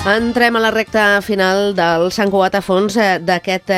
Entrem a la recta final del Sant Cugat a fons d'aquest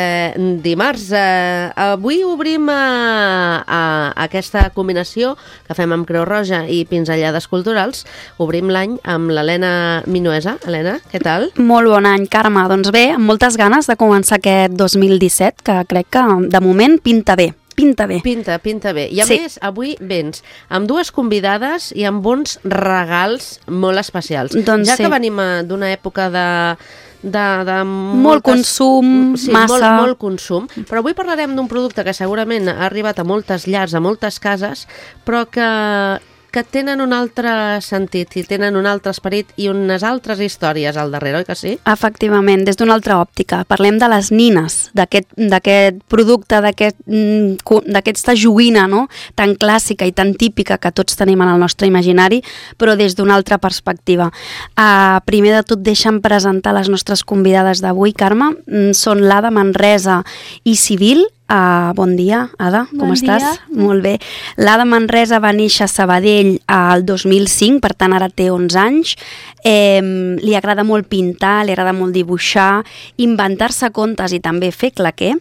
dimarts. Avui obrim aquesta combinació que fem amb Creu Roja i pinzellades culturals. Obrim l'any amb l'Helena Minuesa. Helena, què tal? Molt bon any, Carme. Doncs bé, amb moltes ganes de començar aquest 2017, que crec que de moment pinta bé. Pinta bé. Pinta bé. I a més, avui vens amb dues convidades i amb uns regals molt especials. Doncs ja que venim d'una època de molt consum, massa... Molt consum, però avui parlarem d'un producte que segurament ha arribat a moltes llars, a moltes cases, però que tenen un altre sentit i tenen un altre esperit i unes altres històries al darrere, oi que sí? Efectivament, des d'una altra òptica. Parlem de les nines, d'aquest producte, d'aquesta joguina, no?, tan clàssica i tan típica que tots tenim en el nostre imaginari, però des d'una altra perspectiva. Primer de tot, deixa'm presentar les nostres convidades d'avui, Carme. Són l'Ada Manresa i Civil. Bon dia, Ada, com estàs? Molt bé. L'Ada Manresa va néixer a Sabadell el 2005, per tant ara té 11 anys. Li agrada molt pintar, li agrada molt dibuixar, inventar-se contes i també fer claqué.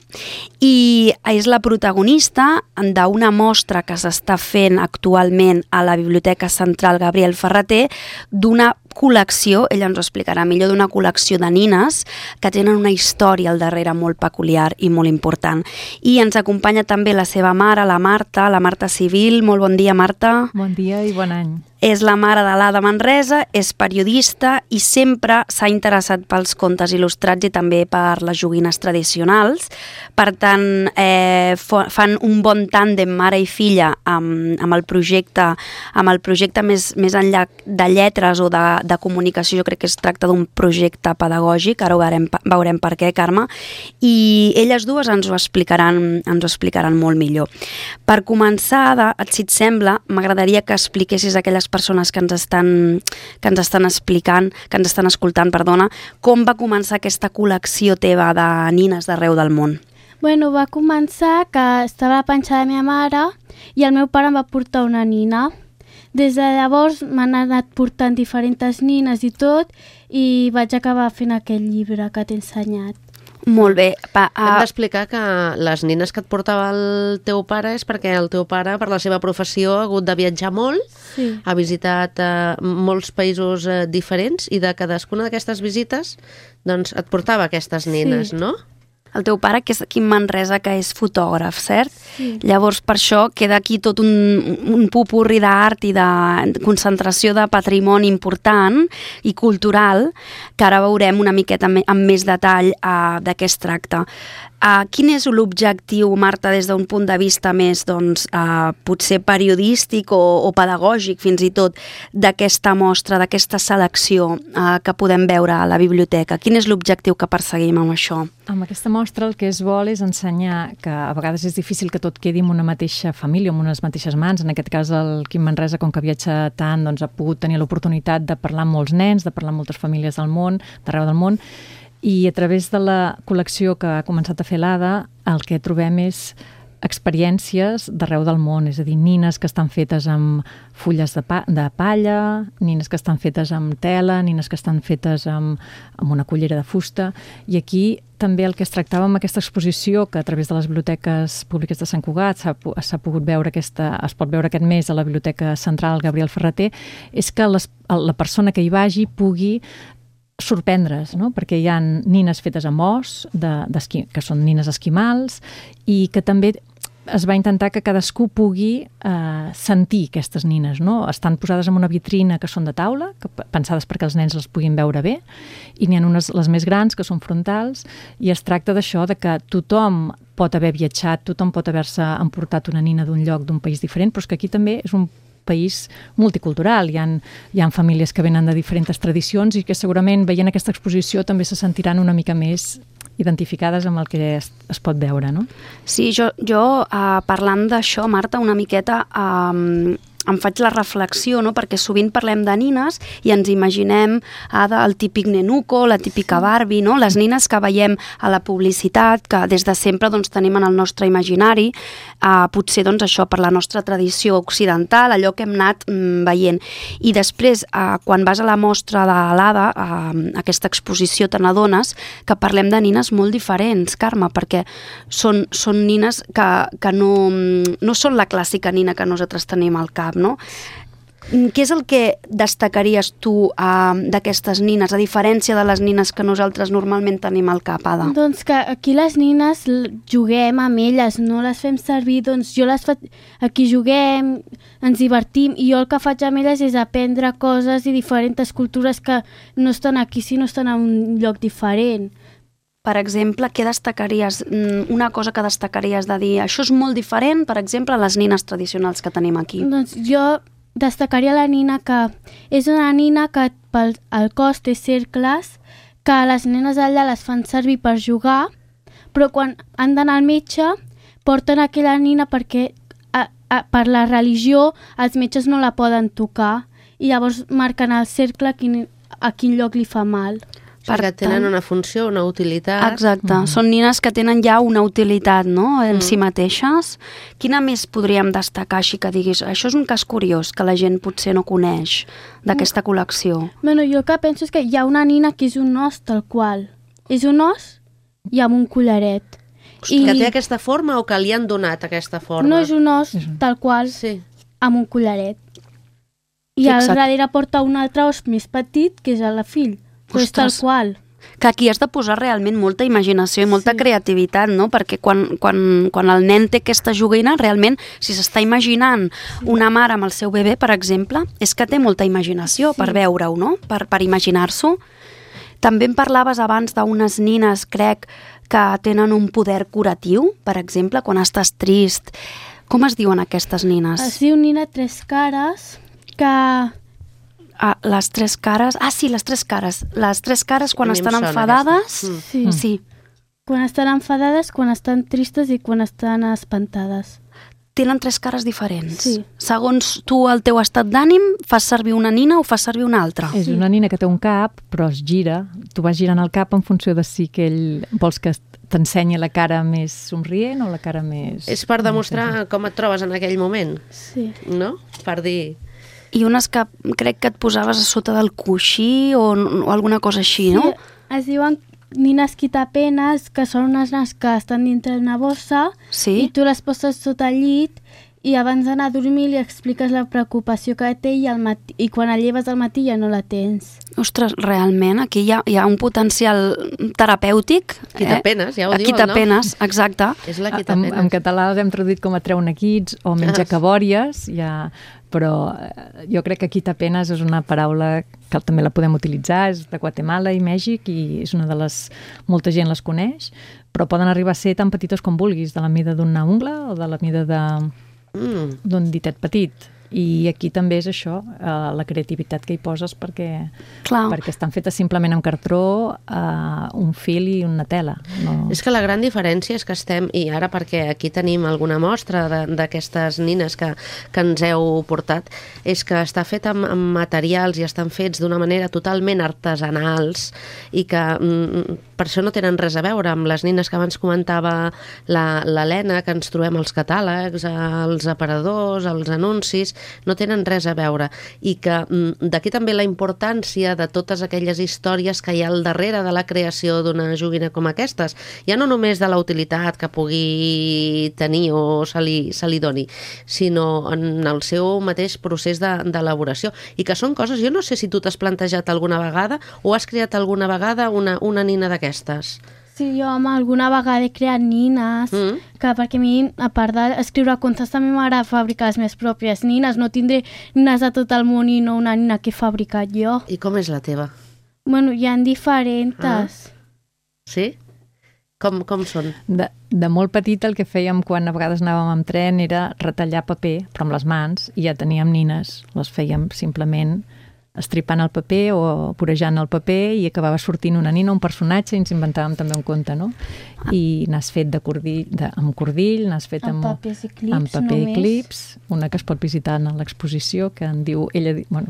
I és la protagonista d'una mostra que s'està fent actualment a la Biblioteca Central Gabriel Ferrater d'una col·lecció, ella ens ho explicarà millor, d'una col·lecció de nines que tenen una història al darrere molt peculiar i molt important. I ens acompanya també la seva mare, la Marta Civil. Molt bon dia, Marta. Bon dia i bon any. És la mare de l'Ada Manresa, és periodista i sempre s'ha interessat pels contes il·lustrats i també per les joguines tradicionals. Per tant, fan un bon tàndem mare i filla amb el projecte més enllà de lletres o de comunicació. Jo crec que es tracta d'un projecte pedagògic, ara veurem per què, Carme, i elles dues ens ho explicaran molt millor. Per començar, si et sembla, m'agradaria que expliquessis a aquelles persones que ens estan escoltant, com va començar aquesta col·lecció teva de nines d'arreu del món. Bueno, va començar que estava a la panxa de la meva mare i el meu pare em va portar una nina. Des de llavors m'han anat portant diferents nines i tot, i vaig acabar fent aquell llibre que t'he ensenyat. Molt bé. Hem d'explicar que les nines que et portava el teu pare és perquè el teu pare, per la seva professió, ha hagut de viatjar molt, sí. Ha visitat molts països diferents i de cadascuna d'aquestes visites doncs, et portava aquestes nines, sí. No? El teu pare, que és aquí en Manresa, que és fotògraf, cert? Sí. Llavors, per això, queda aquí tot un popurri d'art i de concentració de patrimoni important i cultural, que ara veurem una miqueta amb més detall de què es tracta. Quin és l'objectiu, Marta, des d'un punt de vista més, potser periodístic o pedagògic, fins i tot, d'aquesta mostra, d'aquesta selecció que podem veure a la biblioteca? Quin és l'objectiu que perseguim amb això? Amb aquesta mostra el que es vol és ensenyar que a vegades és difícil que tot quedi en una mateixa família, en unes mateixes mans. En aquest cas, el Quim Manresa, com que viatja tant, ha pogut tenir l'oportunitat de parlar amb molts nens, de parlar amb moltes famílies del món, d'arreu del món, i a través de la col·lecció que ha començat a fer l'Ada, el que trobem és experiències d'arreu del món, és a dir, nines que estan fetes amb fulles de palla, nines que estan fetes amb tela, nines que estan fetes amb una cullera de fusta, i aquí també el que es tractava amb aquesta exposició, que a través de les biblioteques públiques de Sant Cugat s'ha pogut veure es pot veure aquest mes a la Biblioteca Central Gabriel Ferrater, és que la persona que hi vagi pugui sorprendre's, no? Perquè hi ha nines fetes amb os, que són nines esquimals, i que també es va intentar que cadascú pugui sentir aquestes nines, no? Estan posades en una vitrina que són de taula, pensades perquè els nens les puguin veure bé, i n'hi ha unes, les més grans, que són frontals, i es tracta d'això, de que tothom pot haver viatjat, tothom pot haver-se emportat una nina d'un lloc, d'un país diferent, però és que aquí també és un país multicultural, hi ha famílies que venen de diferents tradicions i que segurament veient aquesta exposició també se sentiran una mica més identificades amb el que es pot veure, no? Sí, jo parlant d'això, Marta, una miqueta em faig la reflexió, no? Perquè sovint parlem de nines i ens imaginem el típic nenuco, la típica Barbie, no? Les nines que veiem a la publicitat, que des de sempre doncs, tenim en el nostre imaginari, potser doncs, això per la nostra tradició occidental, allò que hem anat veient. I després, quan vas a la mostra de l'Ada, aquesta exposició, te n'adones que parlem de nines molt diferents, Carme, perquè són nines que no són la clàssica nina que nosaltres tenim al cap, no? Què és el que destacaries tu d'aquestes nines, a diferència de les nines que nosaltres normalment tenim al cap, Ada? Doncs que aquí les nines juguem amb elles, no les fem servir, doncs jo les faig... Aquí juguem, ens divertim, i jo el que faig amb elles és aprendre coses i diferents cultures que no estan aquí, sinó estan en un lloc diferent. Per exemple, què destacaries, una cosa que destacaries de dir, això és molt diferent, per exemple, a les nines tradicionals que tenim aquí? Doncs jo destacaria la nina que és una nina que pel cos té cercles, que les nenes allà les fan servir per jugar, però quan han d'anar al metge porten aquella nina perquè per la religió els metges no la poden tocar i llavors marquen al cercle a quin lloc li fa mal. Perquè tenen una funció, una utilitat. Exacte, són nines que tenen ja una utilitat, no?, en si mateixes. Quina més podríem destacar, així que diguis, això és un cas curiós que la gent potser no coneix d'aquesta col·lecció? Bueno, jo el que penso és que hi ha una nina que és un os tal qual. És un os i amb un collaret. Que té aquesta forma o que li han donat aquesta forma? No, és un os tal qual, sí, amb un collaret. I al darrere porta un altre os més petit, que és el fill. Però és tal qual. Que aquí has de posar realment molta imaginació i molta creativitat, no? Perquè quan el nen té aquesta joguina, realment, si s'està imaginant una mare amb el seu bebè, per exemple, és que té molta imaginació per veure-ho, no? Per imaginar-s'ho. També em parlaves abans d'unes nines, crec, que tenen un poder curatiu, per exemple, quan estàs trist. Com es diuen aquestes nines? Es diu nina tres cares, que... les tres cares... sí, les tres cares. Les tres cares quan estan enfadades... Sí. Quan estan enfadades, quan estan tristes i quan estan espantades. Tenen tres cares diferents. Sí. Segons tu, el teu estat d'ànim, fas servir una nina o fas servir una altra? És una nina que té un cap, però es gira. Tu vas girant el cap en funció de si que ell vols que t'ensenyi la cara més somrient o la cara més... És per demostrar com et trobes en aquell moment. Sí. No? Per dir... I unes que crec que et posaves a sota del coixí o alguna cosa així, no? Sí, es diuen nines quitapenes, que són unes nines que estan dintre una bossa, i tu les poses sota el llit i abans d'anar a dormir li expliques la preocupació que té i quan el lleves al matí ja no la tens. Ostres, realment, aquí hi ha un potencial terapèutic. Quitapenes, ja ho diu el nom. Quitapenes, exacte. És la quitapenes. En català les hem traduït com a treu nequits o menjacabòries, però jo crec que quitapenes és una paraula que també la podem utilitzar, és de Guatemala i Mèxic i és una de les... molta gent les coneix, però poden arribar a ser tan petites com vulguis, de la mida d'una ungla o de la mida d'un ditet petit. I aquí també és això, la creativitat que hi poses perquè estan fetes simplement amb cartró, un fil i una tela. No... És que la gran diferència és que estem, i ara perquè aquí tenim alguna mostra d'aquestes nines que ens heu portat, és que està fet amb materials i estan fets d'una manera totalment artesanals i que per això no tenen res a veure amb les nines que abans comentava l'Helena, que ens trobem als catàlegs, als aparadors, als anuncis, no tenen res a veure. I que d'aquí també la importància de totes aquelles històries que hi ha al darrere de la creació d'una joguina com aquestes. Ja no només de la utilitat que pugui tenir o se li doni, sinó en el seu mateix procés d'elaboració. I que són coses, jo no sé si tu t'has plantejat alguna vegada o has creat alguna vegada una nina d'aquestes. Sí, jo alguna vegada he creat nines, que perquè a mi, a part d'escriure contes, també m'agrada fabricar les meves pròpies nines. No tindré nines de tot el món i no una nina que he fabricat jo. I com és la teva? Bueno, hi ha diferents. Sí? Com són? De molt petita el que fèiem quan a vegades anàvem amb tren era retallar paper, però amb les mans, i ja teníem nines. Les fèiem simplement estripant el paper o vorejant el paper i acabava sortint una nina, un personatge, i ens inventàvem també un conte, no? I n'has fet amb cordill, n'has fet amb papers i clips, amb paper i només. clips, una que es pot visitar en l'exposició, que en diu,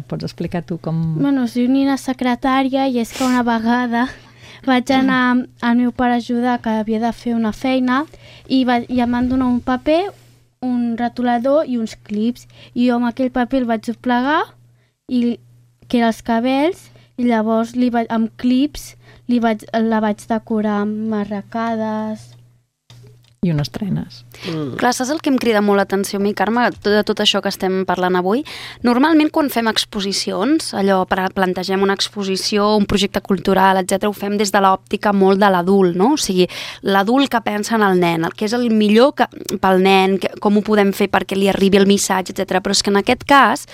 pots explicar tu com... Bueno, es diu Nina Secretària, i és que una vegada vaig anar al meu pare a ajudar, que havia de fer una feina, i em van donar un paper, un retolador i uns clips, i jo amb aquell paper el vaig doblegar, que eren els cabells, i llavors amb clips la vaig decorar amb marracades. I unes trenes. Clar, saps el que em crida molt l'atenció a mi, Carme, de tot això que estem parlant avui? Normalment quan fem exposicions, allò, plantegem una exposició, un projecte cultural, etc., ho fem des de l'òptica molt de l'adult, no? O sigui, l'adult que pensa en el nen, el que és el millor pel nen, com ho podem fer perquè li arribi el missatge, etc. Però és que en aquest cas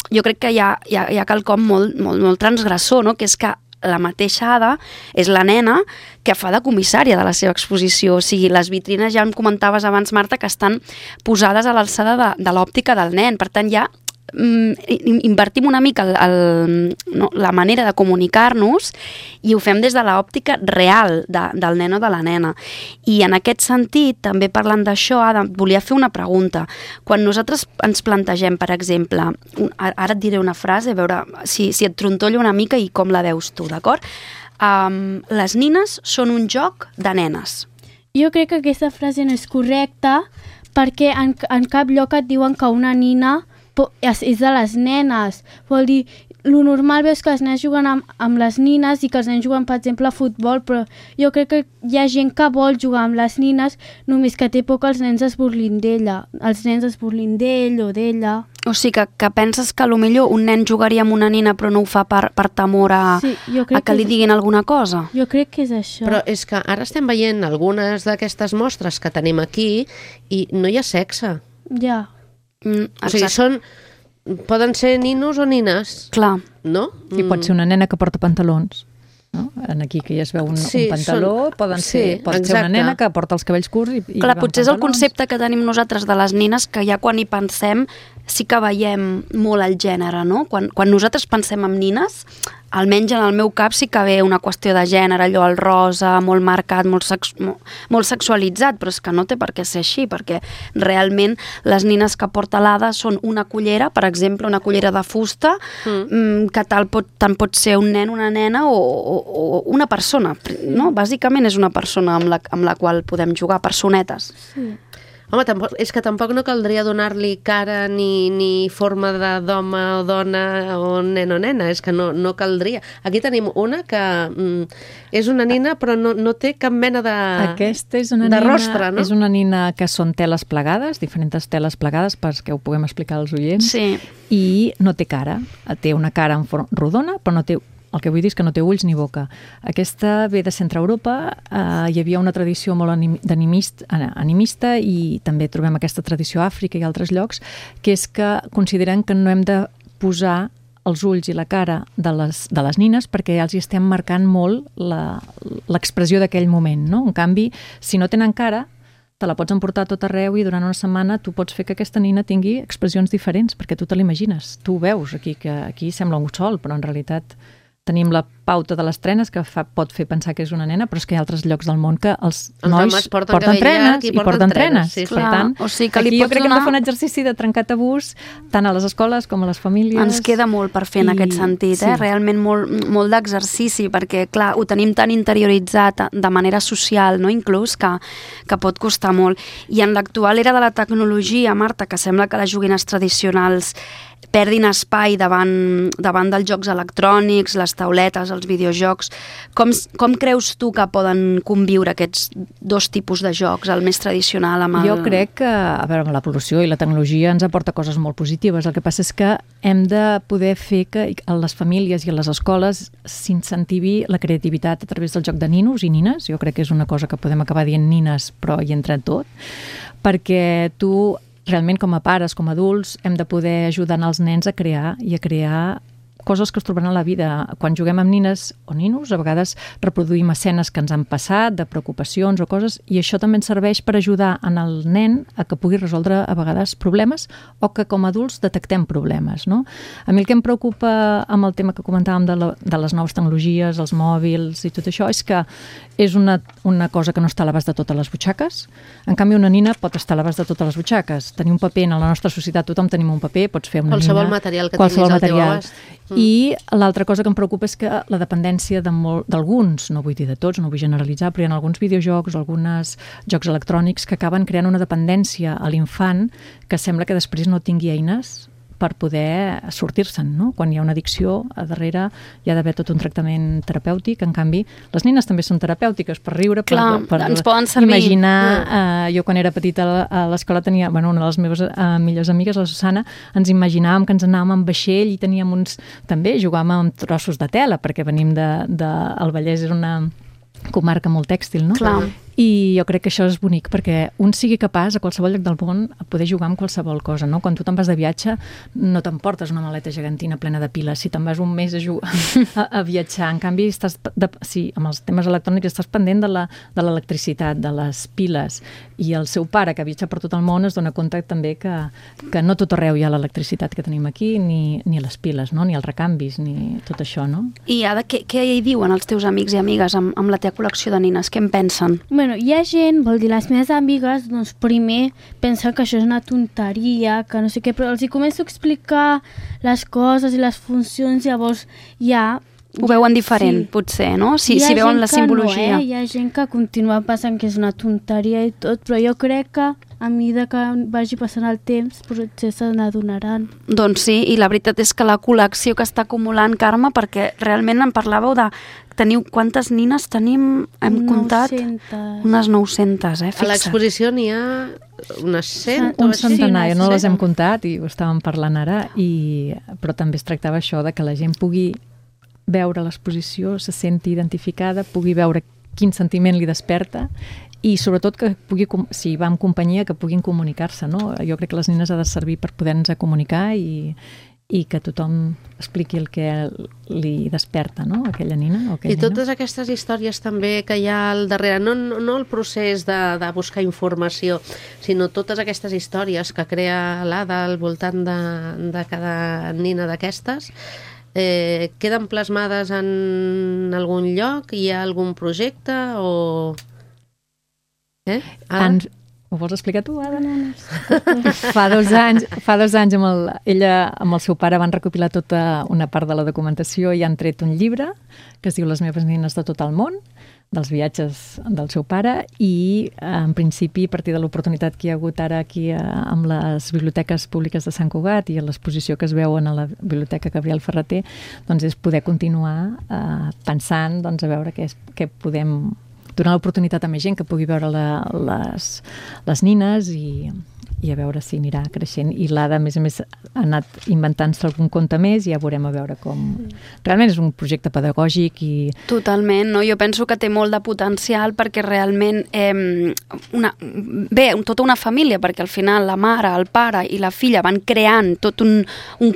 jo crec que hi ha quelcom molt transgressor, no? Que és que la mateixa Ada és la nena que fa de comissària de la seva exposició. O sigui, les vitrines, ja em comentaves abans, Marta, que estan posades a l'alçada de l'òptica del nen. Per tant, ja invertim una mica la manera de comunicar-nos i ho fem des de l'òptica real del nen o de la nena. I en aquest sentit, també parlant d'això, Ada, volia fer una pregunta. Quan nosaltres ens plantegem, per exemple, ara et diré una frase, a veure si et trontollo una mica i com la veus tu, d'acord? Les nines són un joc de nenes. Jo crec que aquesta frase no és correcta, perquè en cap lloc et diuen que una nina és de les nenes. Vol dir, lo normal veus que els nens juguen amb les nines i que els nens juguen, per exemple, a futbol, però jo crec que hi ha gent que vol jugar amb les nines, només que té por que els nens es burlin d'ella. Els nens es burlin d'ell o d'ella. O sigui, que penses que potser un nen jugaria amb una nina però no ho fa per temor a que li diguin alguna cosa? Jo crec que és això. Però és que ara estem veient algunes d'aquestes mostres que tenim aquí i no hi ha sexe. Ja. O sigui, poden ser ninos o nines. Clar. No? I pot ser una nena que porta pantalons. No? Aquí que ja es veu un pantaló, pot ser una nena que porta els cabells curts i clar, va amb potser és el pantalons. concepte que tenim nosaltres de les nines, que ja quan hi pensem sí que veiem molt el gènere, no? Quan nosaltres pensem en nines, almenys en el meu cap sí que ve una qüestió de gènere, allò el rosa, molt marcat, molt sexualitzat, però és que no té per què ser així, perquè realment les nines que porta l'Ada són una cullera, per exemple, una cullera de fusta, que tant pot ser un nen, una nena o una persona, no? Bàsicament és una persona amb la qual podem jugar, personetes. Sí. Home, és que tampoc no caldria donar-li cara ni forma d'home o dona o nen o nena, és que no caldria. Aquí tenim una que és una nina però no té cap mena Aquesta és una de nina, rostre, no? És una nina que són teles plegades, diferents teles plegades perquè ho puguem explicar als oients, sí. I no té cara, té una cara en forma rodona, però no té. El que vull dir és que no té ulls ni boca. Aquesta ve de Centre Europa, hi havia una tradició molt animista i també trobem aquesta tradició a Àfrica i altres llocs, que és que consideren que no hem de posar els ulls i la cara de les nines perquè ja els hi estem marcant molt l'expressió d'aquell moment, no? En canvi, si no tenen cara, te la pots emportar a tot arreu i durant una setmana tu pots fer que aquesta nina tingui expressions diferents perquè tu te l'imagines. Tu ho veus aquí, que aquí sembla un sol, però en realitat tenim la pauta de les trenes que pot fer pensar que és una nena, però és que hi ha altres llocs del món que els nois porten trenes i porten trenes. Sí, per tant, o sigui que aquí jo crec que hem de fer un exercici de trencar tabús tant a les escoles com a les famílies. Ens queda molt per fer en aquest sentit, realment molt d'exercici, perquè clar, ho tenim tan interioritzat de manera social, no? Inclús, que pot costar molt. I en l'actual era de la tecnologia, Marta, que sembla que les joguines tradicionals perdin espai davant dels jocs electrònics, les tauletes, els videojocs. Com creus tu que poden conviure aquests dos tipus de jocs, el més tradicional amb el... Jo crec que, a veure, amb l'evolució i la tecnologia ens aporta coses molt positives. El que passa és que hem de poder fer que a les famílies i a les escoles s'incentivi la creativitat a través del joc de ninos i nines. Jo crec que és una cosa que podem acabar dient nines, però hi entra tot, perquè realment com a pares, com a adults, hem de poder ajudar els nens a crear coses que es trobaran a la vida. Quan juguem amb nines o ninos, a vegades reproduïm escenes que ens han passat, de preocupacions o coses, i això també ens serveix per ajudar en el nen a que pugui resoldre a vegades problemes o que com a adults detectem problemes, no? A mi el que em preocupa amb el tema que comentàvem de les noves tecnologies, els mòbils i tot això, és que és una cosa que no està a l'abast de totes les butxaques. En canvi, una nina pot estar a l'abast de totes les butxaques. Tenir un paper en la nostra societat, tothom tenim un paper, pots fer una qualsevol nina... material que tinguis al teu abast. I l'altra cosa que em preocupa és que la dependència d'alguns, no vull dir de tots, no vull generalitzar, però hi ha alguns videojocs, alguns jocs electrònics que acaben creant una dependència a l'infant que sembla que després no tingui eines per poder sortir-se'n, no? Quan hi ha una addicció, a darrere hi ha d'haver tot un tractament terapèutic. En canvi, les nines també són terapèutiques per riure, per ens poden servir. Imaginar... Jo, quan era petita a l'escola, tenia una de les meves millors amigues, la Susana, ens imaginàvem que ens anàvem amb vaixell i teníem també jugàvem amb trossos de tela, perquè venim el Vallès és una comarca molt tèxtil, no? Clar. I jo crec que això és bonic, perquè un sigui capaç a qualsevol lloc del món a poder jugar amb qualsevol cosa, no? Quan tu te'n vas de viatge no t'emportes una maleta gegantina plena de piles, si te'n vas un mes a viatjar. En canvi, amb els temes electrònics estàs pendent de l'electricitat, de les piles, i el seu pare, que viatja per tot el món, es dona compte també que no tot arreu hi ha l'electricitat que tenim aquí, ni les piles, no? Ni els recanvis, ni tot això, no? I Ada, què hi diuen els teus amics i amigues amb la teva col·lecció de nines? Què en pensen? Bueno, hi ha gent, vol dir, les meves amigues, doncs primer pensen que això és una tonteria, que no sé què, però els hi començo a explicar les coses i les funcions, llavors ja... Ho veuen diferent, sí. Potser, no? Si veuen la simbologia. No, hi ha gent que continua pensant que és una tonteria i tot, però jo crec que a mesura que vagi passant el temps potser se n'adonaran. Doncs sí, i la veritat és que la col·lecció que està acumulant, Carme, perquè realment em parlàveu de... Quantes nines tenim? Hem comptat? 900. Unes 900, fixa. A l'exposició n'hi ha unes 100 un centenar, no les hem comptat i ho estàvem parlant ara, però també es tractava això de que la gent pugui veure l'exposició, se senti identificada, pugui veure quin sentiment li desperta i sobretot que pugui, si va en companyia, que puguin comunicar-se, no? Jo crec que les nines ha de servir per poder-nos comunicar i que tothom expliqui el que li desperta, no? Aquella nina o aquell I totes aquestes històries també que hi ha al darrere, no el procés de buscar informació, sinó totes aquestes històries que crea l'Ada al voltant de cada nina d'aquestes, queden plasmades en algun lloc? Hi ha algun projecte o... Ho vols explicar tu, Ada? No. Fa dos anys ella amb el seu pare van recopilar tota una part de la documentació i han tret un llibre que es diu Les meves nines de tot el món, dels viatges del seu pare, i en principi, a partir de l'oportunitat que hi ha hagut ara aquí amb les biblioteques públiques de Sant Cugat i a l'exposició que es veuen a la Biblioteca Gabriel Ferrater, doncs és poder continuar pensant a veure què podem donar l'oportunitat a més gent que pugui veure les nines i a veure si anirà creixent. I l'Ada, a més, ha anat inventant-se algun conte més i ja veurem a veure com... Realment és un projecte pedagògic i... Totalment, no? Jo penso que té molt de potencial perquè realment tota una família, perquè al final la mare, el pare i la filla van creant tot un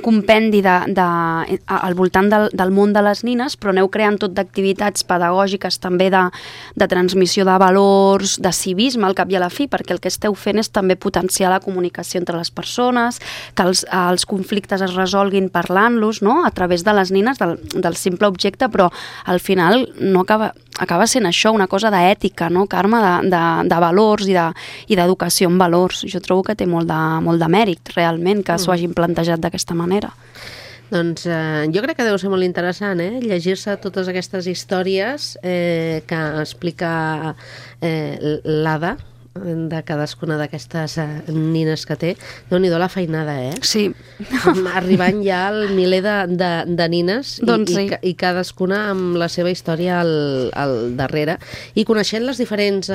compendi al voltant del món de les nines, però aneu creant tot d'activitats pedagògiques també de transmissió de valors, de civisme al cap i a la fi, perquè el que esteu fent és també potenciar la comunicació entre les persones, que els conflictes es resolguin parlant-los, no? A través de les nines, del simple objecte, però al final no acaba sent això, una cosa d'ètica, no, Carme, de valors i d'educació en valors. Jo trobo que té molt de mèrit, realment, que s'ho hagin plantejat d'aquesta manera. Doncs jo crec que deu ser molt interessant, llegir-se totes aquestes històries que explica l'Ada, de cadascuna d'aquestes nines que té. Déu-n'hi-do la feinada, Sí. Arribant ja al miler de nines i cadascuna amb la seva història al darrere i coneixent les diferents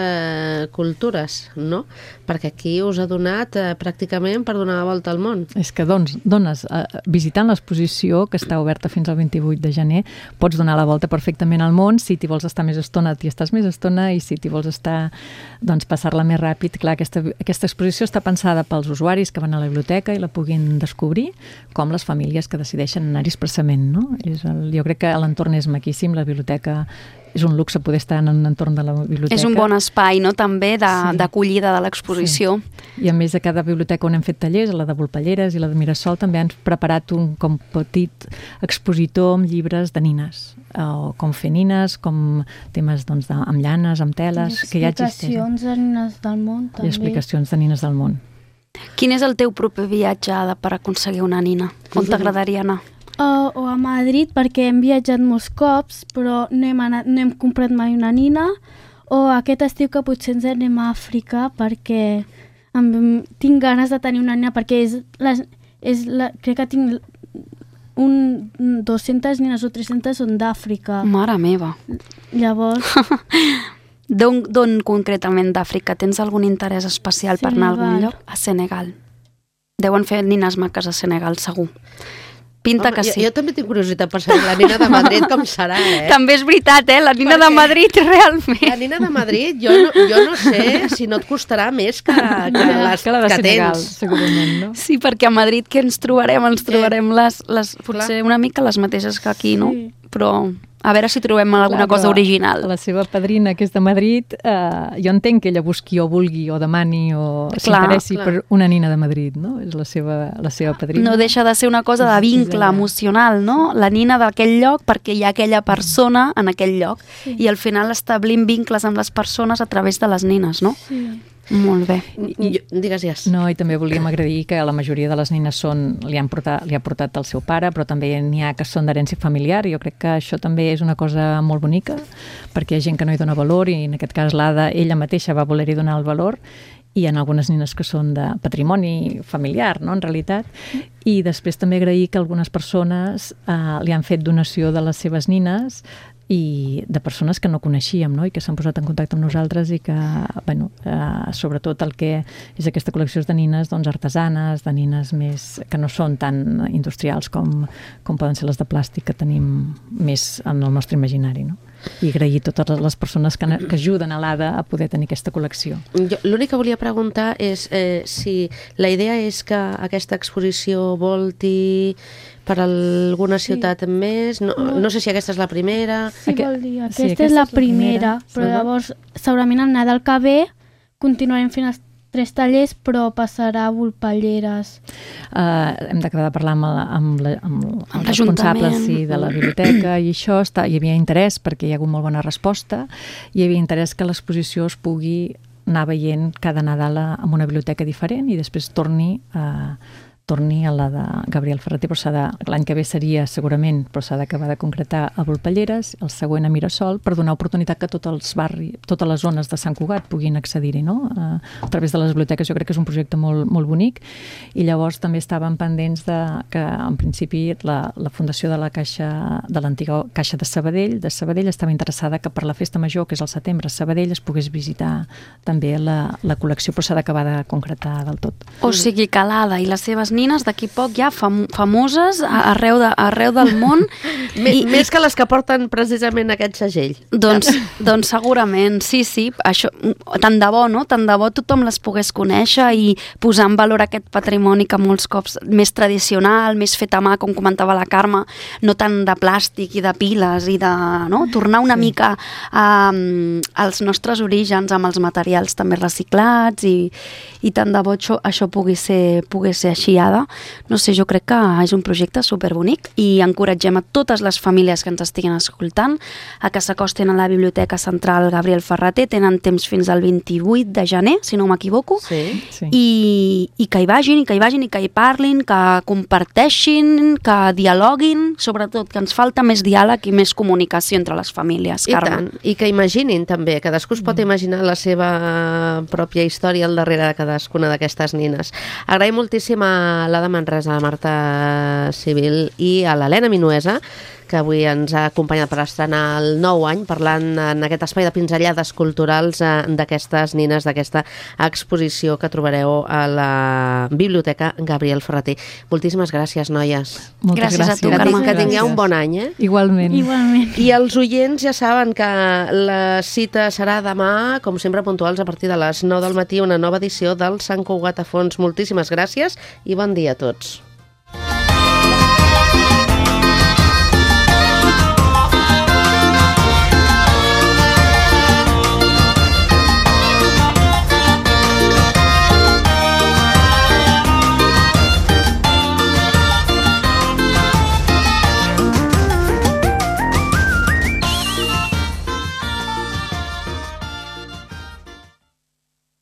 cultures, no? Perquè aquí us ha donat pràcticament per donar la volta al món. És que dones, visitant l'exposició, que està oberta fins al 28 de gener, pots donar la volta perfectament al món. Si t'hi vols estar més estona, t'hi estàs més estona, i si t'hi vols estar, doncs, passar-la més ràpid. Clar, aquesta exposició està pensada pels usuaris que van a la biblioteca i la puguin descobrir, com les famílies que decideixen anar-hi expressament, no? Jo crec que l'entorn és maquíssim, la biblioteca és un luxe poder estar en un entorn de la biblioteca. És un bon espai, no?, també d'acollida de l'exposició. Sí. I a més, a cada biblioteca on hem fet tallers, la de Volpelleres i la de Mirasol, també han preparat un com petit expositor amb llibres de nines, o com fer nines, com temes doncs, amb llanes, amb teles, que ja existeixen. I explicacions de nines del món, també. I explicacions de nines del món. Quin és el teu proper viatge, Ada, per aconseguir una nina? On t'agradaria anar? O a Madrid, perquè hem viatjat molts cops, però no hem comprat mai una nina, o aquest estiu que potser ens anem a Àfrica, perquè tinc ganes de tenir una nina, perquè crec que tinc 200 nines o 300 són d'Àfrica. Mare meva. Llavors... D'on concretament d'Àfrica? Tens algun interès especial per anar a algun lloc? A Senegal. Deuen fer nines maques a Senegal, segur. Pinta que sí. Jo també tinc curiositat per saber la nina de Madrid com serà, També és veritat, la nina de Madrid, realment. La nina de Madrid, jo no sé si no et costarà més que les la de Senegal, tens. segurament, no? Sí, perquè a Madrid què ens trobarem? Ens trobarem potser una mica les mateixes que aquí, no? Sí. Però a veure si trobem alguna cosa original. La seva padrina, que és de Madrid, jo entenc que ella busqui o vulgui o demani o s'interessi per una nina de Madrid, no? És la seva padrina. No deixa de ser una cosa de vincle emocional, no? La nina d'aquell lloc perquè hi ha aquella persona en aquell lloc i al final establim vincles amb les persones a través de les nines, no? Sí. Molt bé. Digues. No, i també volíem agrair que la majoria de les nines li ha portat el seu pare, però també n'hi ha que són d'herència familiar, i jo crec que això també és una cosa molt bonica, perquè hi ha gent que no hi dona valor, i en aquest cas l'Ada, ella mateixa va voler-hi donar el valor, i hi ha algunes nines que són de patrimoni familiar, no?, en realitat. I després també agrair que algunes persones li han fet donació de les seves nines, i de persones que no coneixíem, no?, i que s'han posat en contacte amb nosaltres i que, bueno, sobretot el que és aquesta col·lecció de nines doncs, artesanes, de nines més que no són tan industrials com poden ser les de plàstic que tenim més en el nostre imaginari, no? I agrair totes les persones que ajuden a l'Ada a poder tenir aquesta col·lecció. L'únic que volia preguntar és si la idea és que aquesta exposició volti per alguna ciutat més, no sé si aquesta és la primera. Sí, vol dir, aquesta és la primera, però llavors segurament el Nadal que ve continuarem fent els 3 tallers, però passarà a Volpelleres. Hem d'acabar de parlar amb els responsables de la biblioteca i això, hi havia interès perquè hi ha hagut molt bona resposta, hi havia interès que l'exposició es pugui anar veient cada Nadal en una biblioteca diferent i després torni a la de Gabriel Ferrater, però l'any que ve seria segurament, però s'ha d'acabar de concretar a Volpelleres, el següent a Mirasol, per donar oportunitat que tots els barris, totes les zones de Sant Cugat puguin accedir-hi, no? A través de les biblioteques. Jo crec que és un projecte molt, molt bonic, i llavors també estàvem pendents que en principi la Fundació de la Caixa, de l'antiga Caixa de Sabadell estava interessada que per la festa major, que és al setembre, a Sabadell es pogués visitar també la col·lecció, però s'ha d'acabar de concretar del tot. O sigui que l'Ada i les seves nines d'aquí poc ja famoses arreu del món. Més que les que porten precisament aquest segell. Doncs segurament, sí. Això, tant de bo, no? Tant de bo tothom les pogués conèixer i posar en valor aquest patrimoni que molts cops més tradicional, més fet a mà, com comentava la Carme, no tant de plàstic i de piles i de, no? Tornar una mica als nostres orígens amb els materials també reciclats i tant de bo això pugui ser així. No sé, jo crec que és un projecte superbonic i encoratgem a totes les famílies que ens estiguin escoltant a que s'acosten a la Biblioteca Central Gabriel Ferrater. Tenen temps fins al 28 de gener, si no m'equivoco, i que hi vagin, i que hi parlin, que comparteixin, que dialoguin, sobretot que ens falta més diàleg i més comunicació entre les famílies, Carme. I que imaginin també, cadascú es pot imaginar la seva pròpia història al darrere de cadascuna d'aquestes nines. Agraïm moltíssim a l'Ada Manresa, a la Marta Civil i a l'Helena Minuesa, que avui ens ha acompanyat per estrenar el nou any, parlant en aquest espai de pinzellades culturals d'aquestes nines, d'aquesta exposició que trobareu a la Biblioteca Gabriel Ferrater. Moltíssimes gràcies, noies. Moltes gràcies a tu, Carme. Que tingueu un bon any, Igualment. I els oients ja saben que la cita serà demà, com sempre puntuals, a partir de les 9 del matí, una nova edició del Sant Cugat a Fons. Moltíssimes gràcies i bon dia a tots.